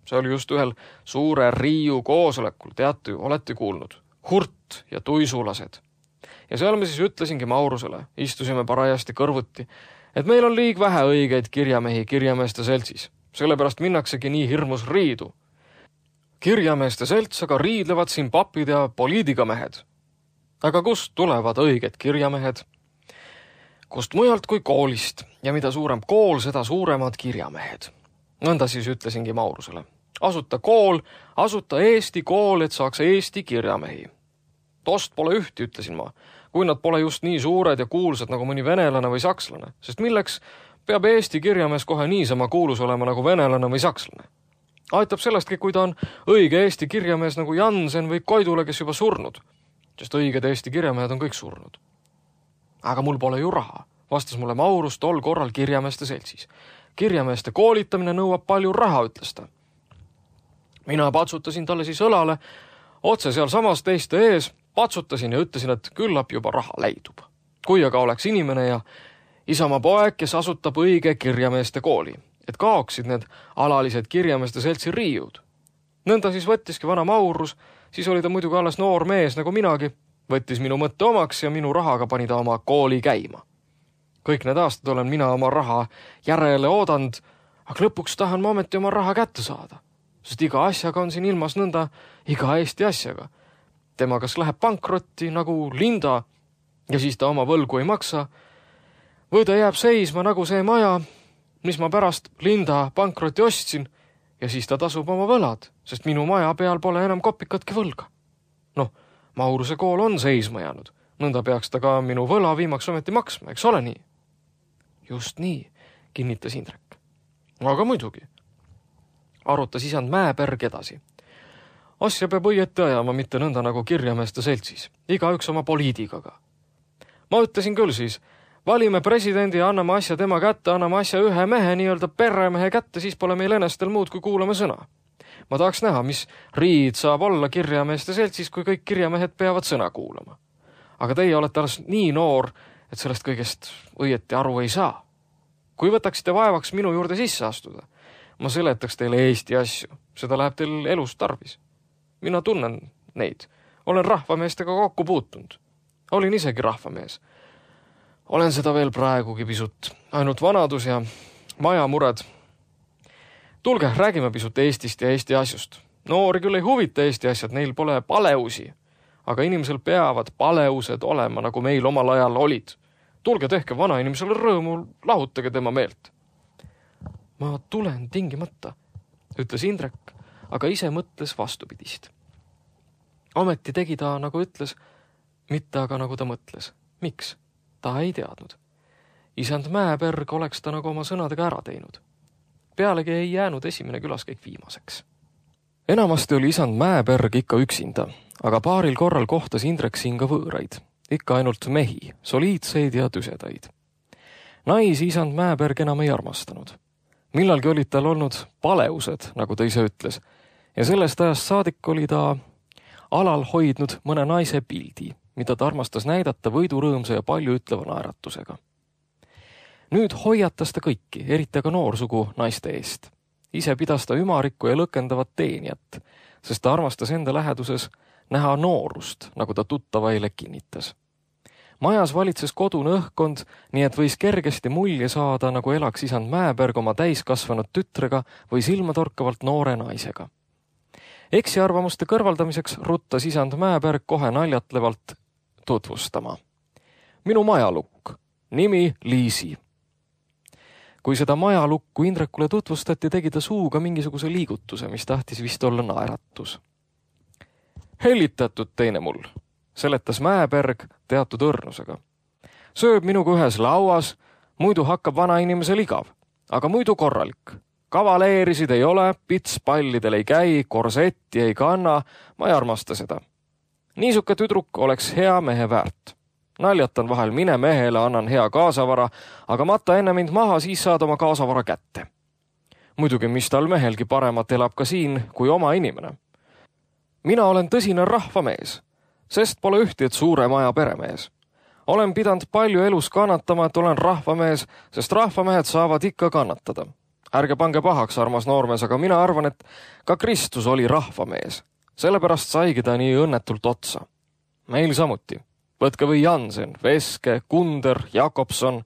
See oli just ühel suure Riiu koosolekul, teate ju, olete kuulnud. Hurt ja tuisulased. Ja seal me siis ütlesingi Maurusele, istusime parajasti kõrvuti, et meil on liig vähe õigeid kirjamehi kirjameeste seltsis. Sellepärast minnaksegi nii hirmus riidu. Kirjameeste selts aga riidlevad siin papid ja poliitikamehed. Aga kust tulevad õiged kirjamehed? Kust mujalt kui koolist, ja mida suurem kool, seda suuremad kirjamehed. Nõnda siis ütlesingi Maurusele. Asuta kool, asuta Eesti kool, et saaks Eesti kirjamehi. Tost pole ühti, ütlesin ma. kui nad pole just nii suured ja kuulsad nagu mõni venelane või sakslane, sest milleks peab Eesti kirjamees kohe niisama kuulus olema nagu venelane või sakslane. Aitab sellestki, kui ta on õige Eesti kirjamees nagu Jansen või Koidule, kes juba surnud, sest õiged Eesti kirjamehed on kõik surnud. Aga mul pole ju raha, vastas mulle Maurus tol korral kirjameeste seltsis. Kirjameeste koolitamine nõuab palju raha, ütles ta. Mina patsutasin talle siis õlale, otse seal samas teiste ees, patsutasin ja ütlesin, et küllap juba raha leidub. Kui aga oleks inimene ja isamaa poeg, kes asutab õige kirjameeste kooli, et kaoksid need alalised kirjameeste seltsi riiud. Nõnda siis võttiski vana Maurus, siis oli ta muidugi alles noor mees nagu minagi, võttis minu mõtte omaks ja minu rahaga pani ta oma kooli käima. Kõik need aastad olen mina oma raha järele oodanud, aga lõpuks tahan ma ometi oma raha kätte saada, sest iga asjaga on siin ilmas nõnda iga Eesti asjaga. Tema kas läheb pankrotti nagu Linda ja siis ta oma võlgu ei maksa, või ta jääb seisma nagu see maja, mis ma pärast Linda pankrotti ostsin ja siis ta tasub oma võlad, sest minu maja peal pole enam kopikatki võlga. Noh, Mauruse kool on seisma jäänud, nõnda peaks ta ka minu võla viimaks ometi maksma, eks ole nii? Just nii, kinnitas Indrek. Aga muidugi, arutas isand Mäeberg edasi. Asja peab õieti ajama, mitte nõnda nagu kirjameeste seltsis, igaüks oma poliitikaga. Ma ütlesin küll siis, valime presidendi ja anname asja tema kätte, anname asja ühe mehe, nii-öelda peremehe kätte, siis pole meil enestel muud, kui kuulame sõna. Ma tahaks näha, mis riid saab olla kirjameeste seltsis, kui kõik kirjamehed peavad sõna kuulama. Aga teie olete alles nii noor, et sellest kõigest õieti aru ei saa. Kui võtaksite vaevaks minu juurde sisse astuda, ma seletaks teile Eesti asju, seda läheb teil elus tarvis. Mina tunnen neid, olen rahvameestega kokku puutunud. Olin isegi rahvamees. Olen seda veel praegugi pisut, ainult vanadus ja majamured. Tulge, räägime pisut Eestist ja Eesti asjust. Noori küll ei huvita Eesti asjad, neil pole paleusi, aga inimesel peavad paleused olema, nagu meil omal ajal olid. Tulge tehke vana inimesele rõõmu, lahutage tema meelt. Ma tulen tingimata, ütles Indrek, aga ise mõtles vastupidist. Ometi tegi ta, nagu ütles, mitte aga nagu ta mõtles. Miks? Ta ei teadnud. Isand Mäeberg oleks ta nagu oma sõnadega ära teinud. Pealegi ei jäänud esimene külaskäik viimaseks. Enamasti oli isand Mäeberg ikka üksinda, aga paaril korral kohtas Indrek siin ka võõraid. Ikka ainult mehi, soliidseid ja tüsedaid. Naisi isand Mäeberg enam ei armastanud. Millalgi olid tal olnud paleused, nagu ta ise ütles, ja sellest ajast saadik oli ta alal hoidnud mõne naise pildi, mida ta armastas näidata võidurõõmsa ja palju ütleva naeratusega. Nüüd hoiatas ta kõiki, eriti aga noorsugu naiste eest. Ise pidas ta ümarikku ja lõkendavat teenijat, sest ta armastas enda läheduses näha noorust, nagu ta tuttavaile kinnitas. Majas valitses kodune õhkkond, nii et võis kergesti mulje saada, nagu elaks isand Mäeberg oma täiskasvanud tütrega või silmatorkavalt noore naisega. Eksiarvamuste kõrvaldamiseks ruttas isand Mäeberg kohe naljatlevalt tutvustama. Minu majalukk, nimi Liisi. Kui seda majalukku Indrekule tutvustati, tegi ta suuga mingisuguse liigutuse, mis tahtis vist olla naeratus. Hellitatud teine mul, seletas Mäeberg teatud õrnusega. Sööb minuga ühes lauas, muidu hakkab vana inimesel igav, aga muidu korralik. Kavaleerisid ei ole, pitspallidel ei käi, korsetti ei kanna, ma ei armasta seda. Niisuke tüdruk oleks hea mehe väärt. Naljatan vahel mine mehele, annan hea kaasavara, aga mata enne mind maha, siis saad oma kaasavara kätte. Muidugi, mis tal mehelgi paremat elab ka siin kui oma inimene. Mina olen tõsine rahvamees, sest pole ühti, et suure maja peremees. Olen pidanud palju elus kannatama, et olen rahvamees, sest rahvamehed saavad ikka kannatada. Ärge pange pahaks, armas noormees, aga mina arvan, et ka Kristus oli rahvamees. Sellepärast saigi ta nii õnnetult otsa. Meil samuti. Võtke või Jansen, Veske, Kunder, Jakobson.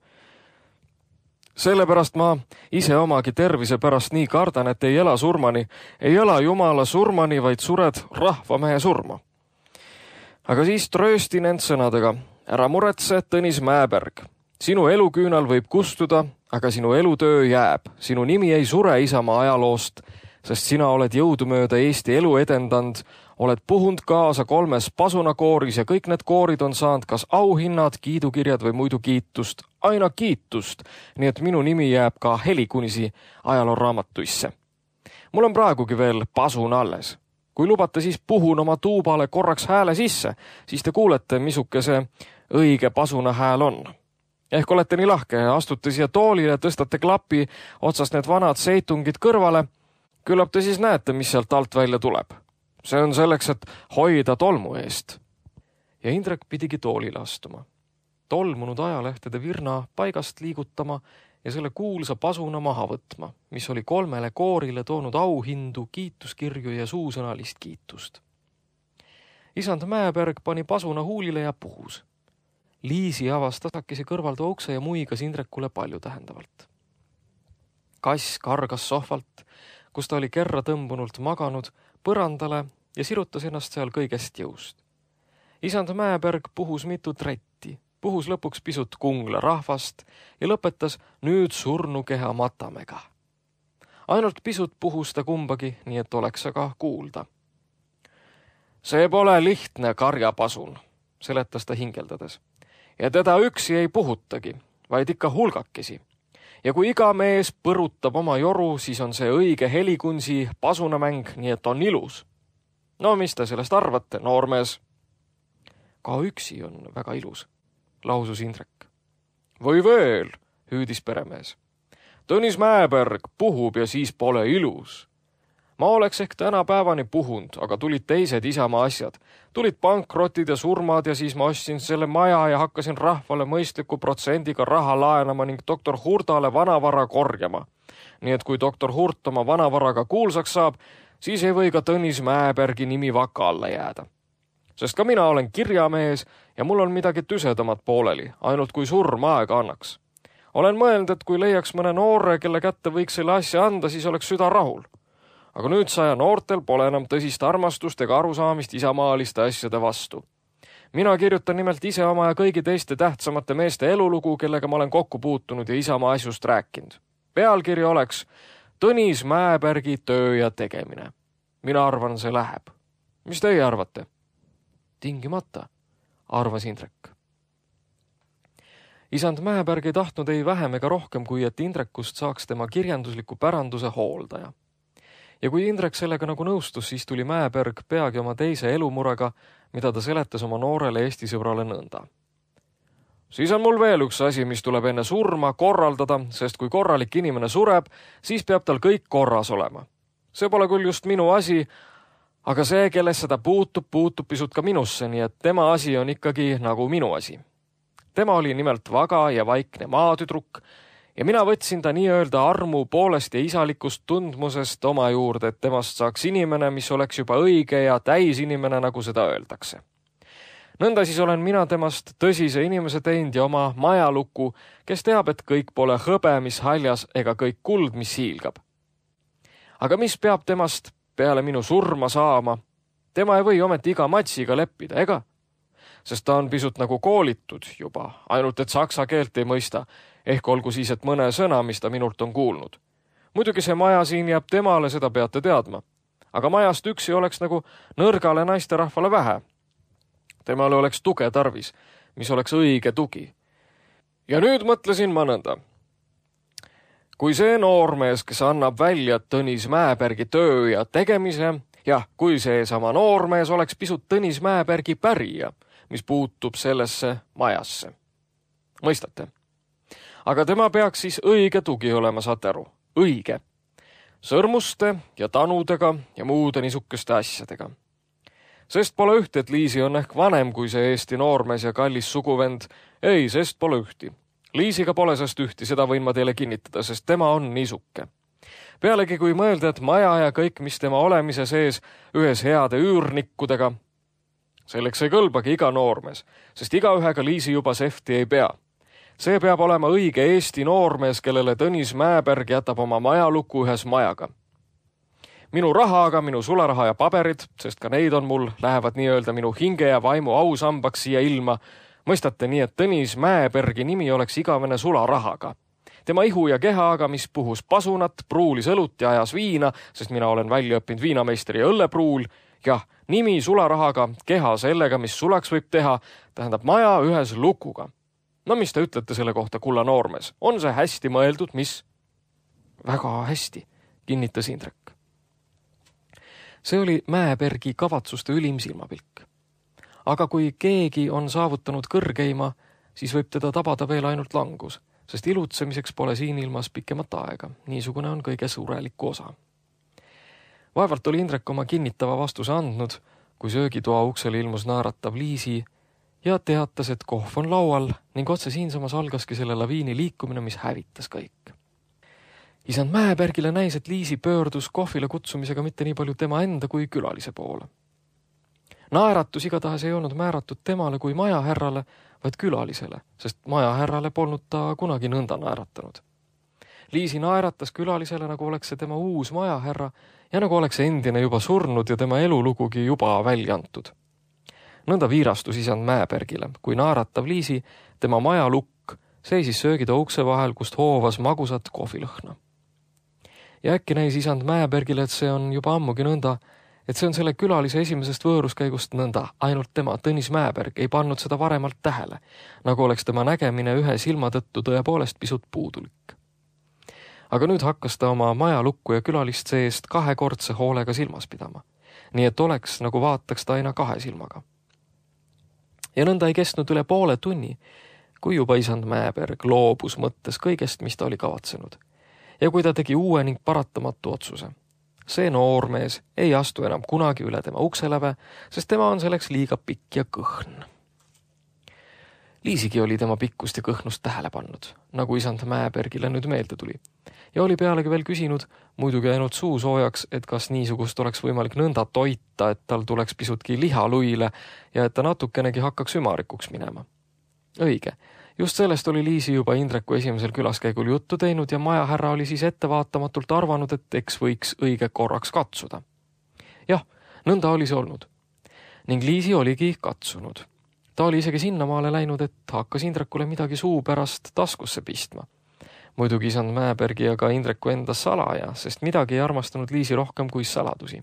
Sellepärast ma ise omagi tervise pärast nii kardan, et ei ela surmani, ei ela Jumala surmani, vaid sured rahvamehe surma. Aga siis trööstin end sõnadega. Ära muretse, Tõnis Mäeberg. Sinu eluküünal võib kustuda, aga sinu elutöö jääb. Sinu nimi ei sure isamaa ajaloost. sest sina oled jõudumööda Eesti elu edendanud, oled puhunud kaasa 3 pasunakooris ja kõik need koorid on saanud kas auhinnad, kiidukirjad või muidu kiitust, aina kiitust, nii et minu nimi jääb ka Helikunisi ajalooraamatuisse. Mul on praegugi veel pasun alles. Kui lubate, siis puhun oma tuubale korraks hääle sisse, siis te kuulete, missuke see õige pasuna hääl on. Ehk olete nii lahke, astute siia toolile, tõstate klapi otsast need vanad seitungid kõrvale, küllap te siis näete, mis sealt alt välja tuleb. See on selleks, et hoida tolmu eest. Ja Indrek pidigi toolile astuma. Tolmunud ajalehtede virna paigast liigutama ja selle kuulsa pasuna maha võtma, mis oli 3 koorile toonud auhindu, kiituskirju ja suusõnalist kiitust. Isand Mäeberg pani pasuna huulile ja puhus. Liisi avas tasakese kõrvalda ukse ja muigas Indrekule palju tähendavalt. Kass kargas sohvalt, kus ta oli kerra tõmbunult maganud, põrandale ja sirutas ennast seal kõigest jõust. Isand Mäeberg puhus mitu tretti, puhus lõpuks pisut Kungla rahvast ja lõpetas nüüd surnukeha Matamega. Ainult pisut puhus ta kumbagi, nii et oleks aga kuulda. See pole lihtne karjapasun, seletas ta hingeldades. Ja teda üksi ei puhutagi, vaid ikka hulgakesi. Ja kui iga mees põrutab oma joru, siis on see õige Helikunsi pasunamäng, nii et on ilus. No mis te sellest arvate, noormees? Ka üksi on väga ilus, lausus Indrek. Või veel, hüüdis peremees. Tõnis Mäeberg puhub ja siis pole ilus. Ma oleks ehk tänapäevani puhunud, aga tulid teised isamaa asjad. Tulid pankrotid ja surmad ja siis ma ostsin selle maja ja hakkasin rahvale mõistliku protsendiga raha laenama ning doktor Hurdale vanavara korjama. Nii et kui doktor Hurt oma vanavaraga kuulsaks saab, siis ei või ka Tõnis Mäebergi nimi vaka alla jääda. Sest ka mina olen kirjamees ja mul on midagi tüsedamat pooleli, ainult kui surm aega annaks. Olen mõelnud, et kui leiaks mõne noore, kelle kätte võiks selle asja anda, siis oleks süda rahul. Aga nüüd saja noortel pole enam tõsist armastust ega arusaamist isamaaliste asjade vastu. Mina kirjutan nimelt ise oma ja kõigi teiste tähtsamate meeste elulugu, kellega ma olen kokku puutunud ja isamaa asjust rääkinud. Pealkiri oleks Tõnis Mäebergi töö ja tegemine. Mina arvan, see läheb. Mis teie arvate? Tingimata, arvas Indrek. Isand Mäeberg ei tahtnud ei vähem ega rohkem, kui et Indrekust saaks tema kirjandusliku päranduse hooldaja. Ja kui Indrek sellega nagu nõustus, siis tuli Mäeberg peagi oma teise elumurega, mida ta seletas oma noorele Eesti sõbrale nõnda. Siis on mul veel üks asi, mis tuleb enne surma korraldada, sest kui korralik inimene sureb, siis peab tal kõik korras olema. See pole küll just minu asi, aga see, kelles seda puutub pisut ka minusse, nii et tema asi on ikkagi nagu minu asi. Tema oli nimelt vaga ja vaikne maatüdruk ja mina võtsin ta nii-öelda armu poolest ja isalikust tundmusest oma juurde, et temast saaks inimene, mis oleks juba õige ja täisinimene, nagu seda öeldakse. Nõnda siis olen mina temast tõsise inimese teinud ja oma majaluku, kes teab, et kõik pole hõbe, mis haljas, ega kõik kuld, mis hiilgab. Aga mis peab temast peale minu surma saama? Tema ei või ometi iga matsiga leppida, ega? Sest ta on pisut nagu koolitud juba, ainult et saksa keelt ei mõista, ehk olgu siis, et mõne sõna, mis ta minult on kuulnud. Muidugi see maja siin jääb temale, seda peate teadma. Aga majast üksi oleks nagu nõrgale naisterahvale vähe. Temale oleks tuge tarvis, mis oleks õige tugi. Ja nüüd mõtlesin ma nõnda. Kui see noormees, kes annab välja Tõnis Mäebergi töö ja tegemise, kui see sama noormees oleks pisut Tõnis Mäebergi pärija, mis puutub sellesse majasse. Mõistate? Aga tema peaks siis õige tugi olema, saate aru. Õige. Sõrmuste ja tanudega ja muude niisugeste asjadega. Sest pole ühti, et Liisi on ehk vanem kui see Eesti noormees ja kallis suguvend. Ei, sest pole ühti. Liisiga pole sest ühti, seda võin ma teile kinnitada, sest tema on niisuke. Pealegi kui mõelda, et maja ja kõik, mis tema olemise sees, ühes heade üürnikkudega, selleks ei kõlbagi iga noormees, sest igaühega Liisi juba sefti ei pea. See peab olema õige Eesti noormees, kellele Tõnis Mäeberg jätab oma majaluku ühes majaga. Minu rahaga, minu sularaha ja paberid, sest ka neid on mul, lähevad nii-öelda minu hinge ja vaimu ausambaks siia ilma. Mõistate nii, et Tõnis Mäebergi nimi oleks igavene sularahaga. Tema ihu ja kehaga, mis puhus pasunat, pruulis õlut ja ajas viina, sest mina olen välja õppinud viinameister ja õllepruul. Jah, nimi sularahaga, keha sellega, mis sulaks võib teha, tähendab maja ühes lukuga. No mis te ütlete selle kohta, kulla noormees? On see hästi mõeldud, mis? Väga hästi, kinnitas Indrek. See oli Mäebergi kavatsuste ülim silmapilk. Aga kui keegi on saavutanud kõrgeima, siis võib teda tabada veel ainult langus, sest ilutsemiseks pole siin ilmas pikemat aega. Niisugune on kõige suureliku osa. Vaevalt oli Indrek oma kinnitava vastuse andnud, kui söögitoa uksele ilmus naeratav Liisi ja teatas, et kohv on laual ning otse siinsamas algaski selle laviini liikumine, mis hävitas kõik. Isand Mäebergile näis, et Liisi pöördus kohvile kutsumisega mitte nii palju tema enda kui külalise poole. Naeratus igatahes ei olnud määratud temale kui majahärrale, vaid külalisele, sest majahärrale polnud ta kunagi nõnda naeratanud. Liisi naeratas külalisele, nagu oleks see tema uus majahärra ja nagu oleks endine juba surnud ja tema elulugugi juba välja antud. Nõnda viirastus isand Mäebergile, kui naeratav Liisi, tema majalukk, seisis söögitoa ukse vahel, kust hoovas magusat kohvilõhna. Ja äkki näis isand Mäebergile, et see on juba ammugi nõnda, et see on selle külalise esimesest võõruskäigust nõnda, ainult tema, Tõnis Mäeberg, ei pannud seda varemalt tähele, nagu oleks tema nägemine ühe silma tõttu tõepoolest pisut puudulik. Aga nüüd hakkas ta oma majalukku ja külalist seest kahekordse hoolega silmas pidama, nii et oleks, nagu vaataks ta aina kahe silmaga. Ja nõnda ei kestnud üle poole tunni, kui juba isand Mäeberg loobus mõttes kõigest, mis ta oli kavatsenud. Ja kui ta tegi uue ning paratamatu otsuse. See noormees ei astu enam kunagi üle tema ukseläve, sest tema on selleks liiga pikk ja kõhn. Liisigi oli tema pikkust ja kõhnust tähele pannud, nagu isand Mäebergile nüüd meelde tuli. Ja oli pealegi veel küsinud, muidugi ainult suu soojaks, et kas niisugust oleks võimalik nõnda toita, et tal tuleks pisutki liha luile ja et ta natukenegi hakkaks ümarikuks minema. Õige, just sellest oli Liisi juba Indreku esimesel külaskäigul juttu teinud ja majahärra oli siis ettevaatamatult arvanud, et eks võiks õige korraks katsuda. Jah, nõnda oli see olnud. Ning Liisi oligi katsunud. Ta oli isegi sinnamaale läinud, et hakkas Indrekule midagi suu pärast taskusse pistma. Muidugi isand Mäebergi ja ka Indreku enda salaja, sest midagi ei armastanud Liisi rohkem kui saladusi.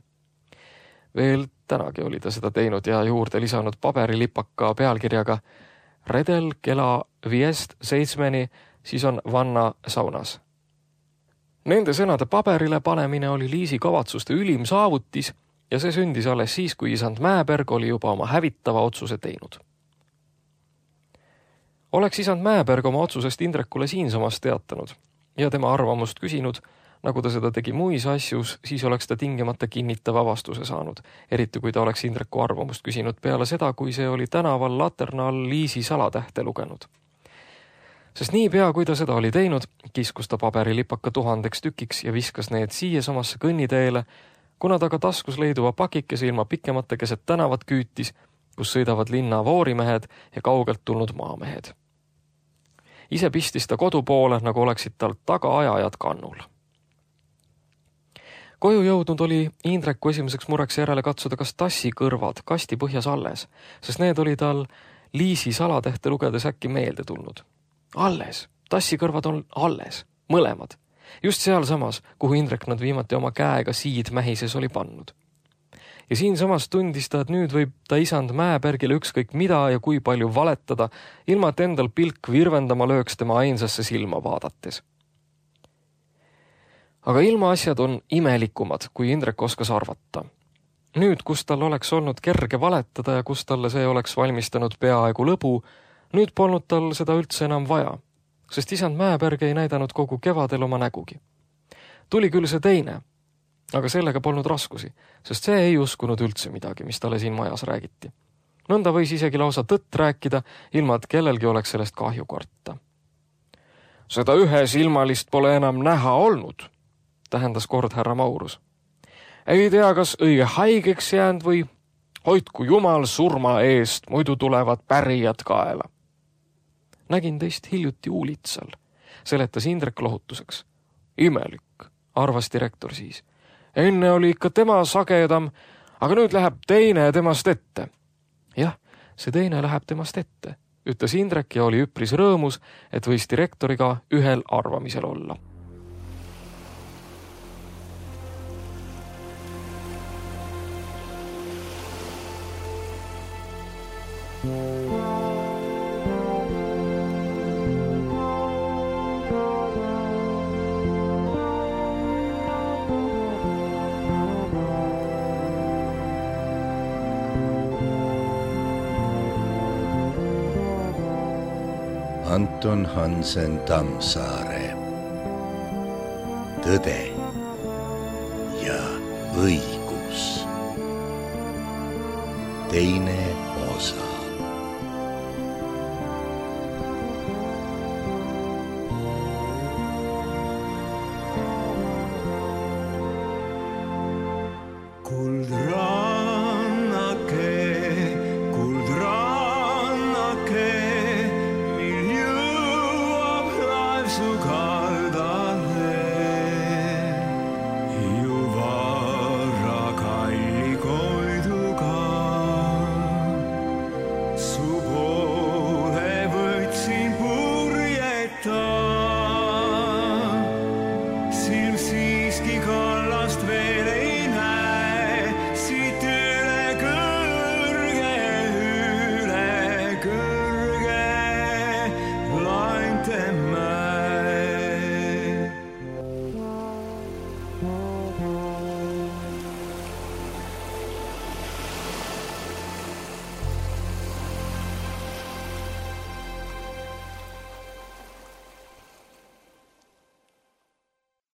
Veel tänagi oli ta seda teinud ja juurde lisanud paberilipaka pealkirjaga Redel kella 5-7, siis on vanna saunas. Nende sõnade paberile panemine oli Liisi kavatsuste ülim saavutis ja see sündis alles siis, kui isand Mäeberg oli juba oma hävitava otsuse teinud. Oleks isand Mäeberg oma otsusest Indrekule siinsamas teatanud ja tema arvamust küsinud, nagu ta seda tegi muis asjus, siis oleks ta tingimata kinnitava vastuse saanud, eriti kui ta oleks Indreku arvamust küsinud peale seda, kui see oli tänaval laterna all Liisi salatähte lugenud. Sest niipea, kui ta seda oli teinud, kiskus ta paberilipaka 1000 tükiks ja viskas need siiasamasse kõnniteele, kuna ta ka taskus leiduva pakikese ilma pikemate keset tänavat küütis, kus sõidavad linna voorimehed ja kaugelt tulnud maamehed. Ise pistis ta kodu poole, nagu oleksid tal tagaajajad kannul. Koju jõudnud oli Indreku esimeseks mureks järele katsuda, kas tassi kõrvad kasti põhjas alles, sest need oli tal Liisi salatähte lugedes äkki meelde tulnud. Alles, tassi kõrvad on alles, mõlemad. Just sealsamas, kuhu Indrek nad viimati oma käega siidmähises oli pannud. Ja siinsamas tundis ta, et nüüd võib ta isand Mäebergile ükskõik mida ja kui palju valetada, ilma et endal pilk virvendama lööks tema ainsasse silma vaadates. Aga ilmaasjad on imelikumad, kui Indrek oskas arvata. Nüüd, kus tal oleks olnud kerge valetada ja kus talle see oleks valmistanud peaaegu lõbu, nüüd polnud tal seda üldse enam vaja, sest isand Mäeberg ei näidanud kogu kevadel oma nägugi. Tuli küll see teine, aga sellega polnud raskusi, sest see ei uskunud üldse midagi, mis talle siin majas räägiti. Nõnda võis isegi lausa tõtt rääkida, ilma et kellelgi oleks sellest kahju karta. Seda ühesilmalist pole enam näha olnud, tähendas kord härra Maurus. Ei tea, kas õige haigeks jäänud või hoidku jumal surma eest, muidu tulevad pärijad kaela. Nägin teist hiljuti Uulitsal, seletas Indrek lohutuseks. Imelik, arvas direktor siis. Enne oli ikka tema sagedam, aga nüüd läheb teine temast ette. Jah, see teine läheb temast ette, ütles Indrek ja oli üpris rõõmus, et võis direktoriga ühel arvamisel olla. Anton Hansen Tammsaare. Tõde ja õigus. Teine osa. Kuldraadios